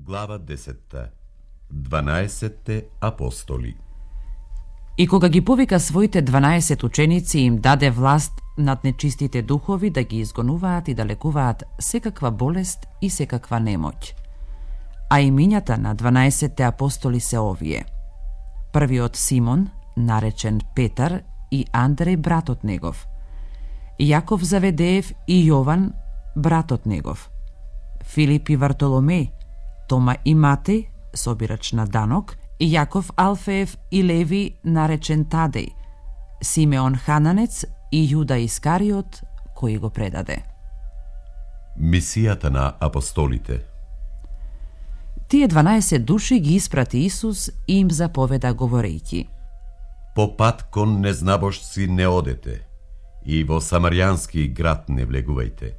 Глава 10. 12 апостоли. И кога ги повика своите 12 ученици, им даде власт над нечистите духови да ги изгонуваат и да лекуваат секаква болест и секаква немоќ. А имињата на 12 апостоли се овие: првиот Симон, наречен Петар, и Андреј братот негов, Јаков Заведеев и Јован братот негов, Филип и Вартоломеј, Тома и Матеј, собирач на данок, и Јаков Алфеев и Леви, наречен Тадеј, Симеон Хананец и Јуда Искариот, кој го предаде. Мисијата на апостолите. Тие 12 души ги испрати Исус и им заповеда говорејќи: По пат кон незнабожци не одете и во самаријански град не влегувајте,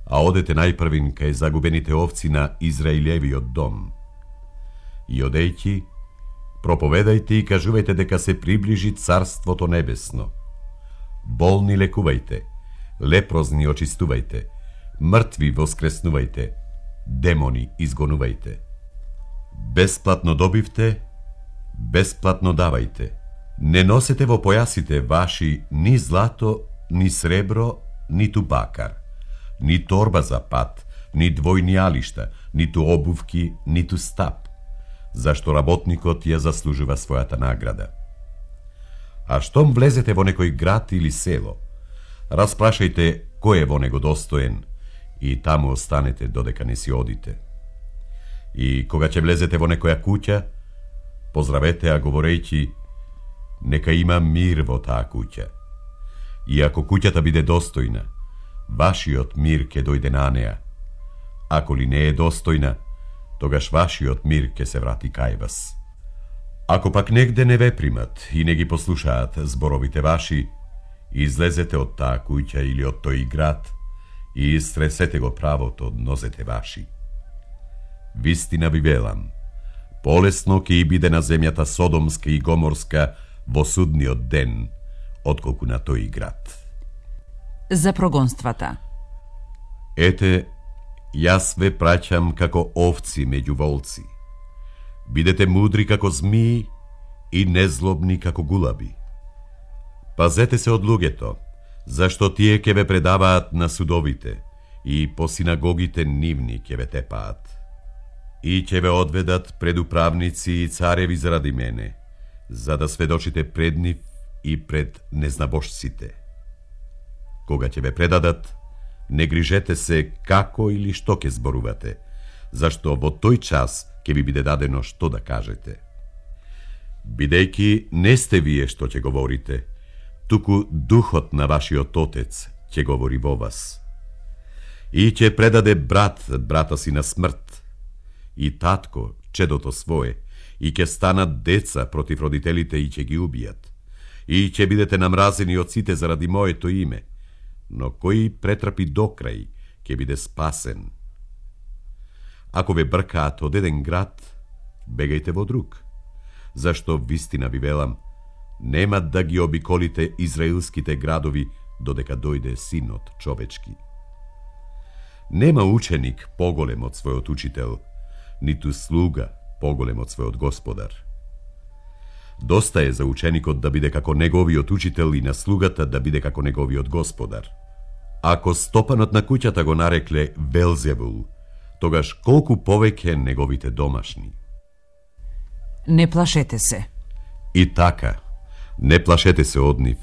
а одете најпрвин кај загубените овци на Израилевиот дом. И одејќи, проповедајте и кажувајте дека се приближи Царството Небесно. Болни лекувајте, лепрозни очистувајте, мртви воскреснувајте, демони изгонувајте. Бесплатно добивте, бесплатно давајте. Не носете во појасите ваши ни злато, ни сребро, ниту бакар, ни торба за пат, ни двојни алишта, ниту обувки, ниту стап, зашто работникот ја заслужува својата награда. А штом влезете во некој град или село, распрашајте кој е во него достоен и таму останете додека не си одите. И кога ќе влезете во некоја куќа, поздравете ја говорејќи: нека има мир во таа куќа. И ако куќата биде достојна, вашиот мир ќе дојде на неа. Ако ли не е достојна, тогаш вашиот мир ќе се врати кај вас. Ако пак негде не ве примат и не ги послушаат зборовите ваши, излезете од таа куќа или од тој град и истресете го правото од нозете ваши. Вистина ви велам, полесно ќе и биде на земјата Содомска и Гоморска во судниот ден, отколку на тој град. За прогонствата. Ете, јас ве праќам како овци меѓу волци. Бидете мудри како змии и незлобни како гулаби. Пазете се од луѓето, зашто тие ќе ве предаваат на судовите и по синагогите нивни ќе ве тепаат. И ќе ве одведат пред управници и цареви заради мене, за да сведочите пред нив и пред незнабожците. Кога ќе ве предадат, не грижете се како или што ќе зборувате, зашто во тој час ќе ви биде дадено што да кажете. Бидејќи не сте вие што ќе говорите, туку духот на вашиот Отец ќе говори во вас. И ќе предаде брат брата си на смрт, и татко чедото свое, и ќе станат деца против родителите и ќе ги убијат. И ќе бидете намразени од сите заради моето име, но кој претрпи до крај, ќе биде спасен. Ако ве бркаат од еден град, бегајте во друг, зашто вистина ви велам, нема да ги обиколите израилските градови додека дојде Синот човечки. Нема ученик поголем од својот учител, ниту слуга поголем од својот господар. Доста е за ученикот да биде како неговиот учител и на слугата да биде како неговиот господар. Ако стопанот на куќата го нарекле Велзевул, тогаш колку повеќе неговите домашни. Не плашете се. И така, не плашете се од нив,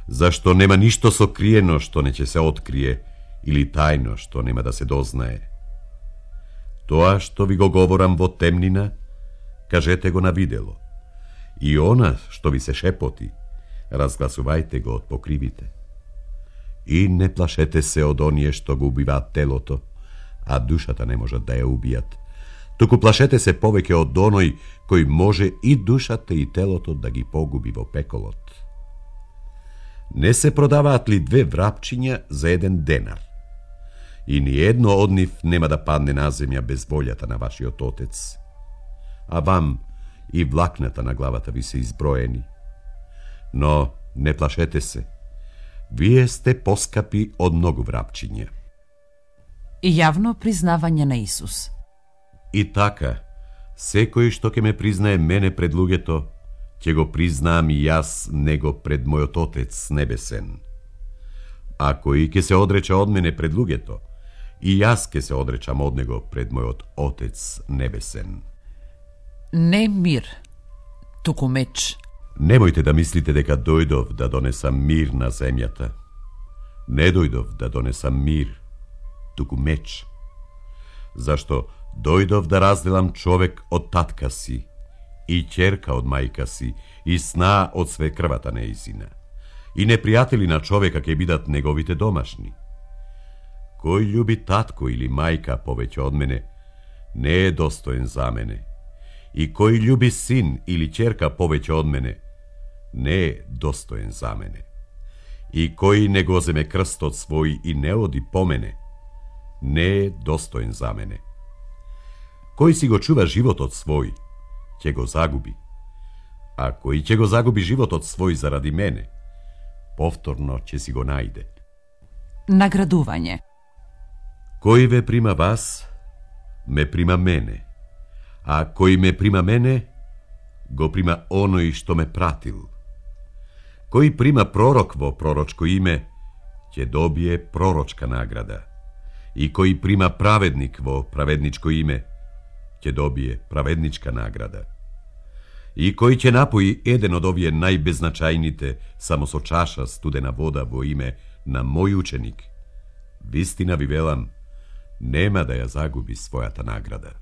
зашто нема ништо сокриено што не ќе се открие или тајно што нема да се дознае. Тоа што ви го говорам во темнина, кажете го на видело. И она што ви се шепоти, разгласувајте го од покривите. И не плашете се од оние што го убиваат телото, а душата не можат да ја убијат. Туку плашете се повеќе од оној кој може и душата и телото да ги погуби во пеколот. Не се продаваат ли 2 врапчиња за 1 денар? И ни едно од нив нема да падне на земја без волјата на вашиот Отец. А вам и влакната на главата ви се изброени. Но не плашете се. Вие сте поскапи од многу врапчиња. Јавно признавање на Исус. И така, секој што ќе ме признае мене пред луѓето, ќе го признаам и јас него пред мојот Отец небесен. А кој ќе се одрече од мене пред луѓето, и јас ќе се одречам од него пред мојот Отец небесен. Не мир, туку меч. Немојте да мислите дека дојдов да донесам мир на земјата. Не дојдов да донесам мир, туку меч. Зашто дојдов да разделам човек од татка си, и ќерка од мајка си, и сна од свекрвата неизина. И непријатели на човека ќе бидат неговите домашни. Кој љуби татко или мајка повеќе од мене, не е достоен за мене. И кој љуби син или ќерка повеќе од мене, не е достоен за мене. И кој не го земе крстот свој и не оди по мене, не е достоен за мене. Кој си го чува животот свој, ќе го загуби. А кој ќе го загуби животот свој заради мене, повторно ќе си го најде. Наградување. Кој ве прима вас, ме прима мене. А кој ме прима мене, го прима оној што ме пратил. Кој прима пророк во пророчко име, ќе добие пророчка награда. И кој прима праведник во праведничко име, ќе добие праведничка награда. И кој ќе напои еден од овие најбезначајните само со чаша студена вода во име на мој ученик, вистина ви велам, нема да ја загуби својата награда.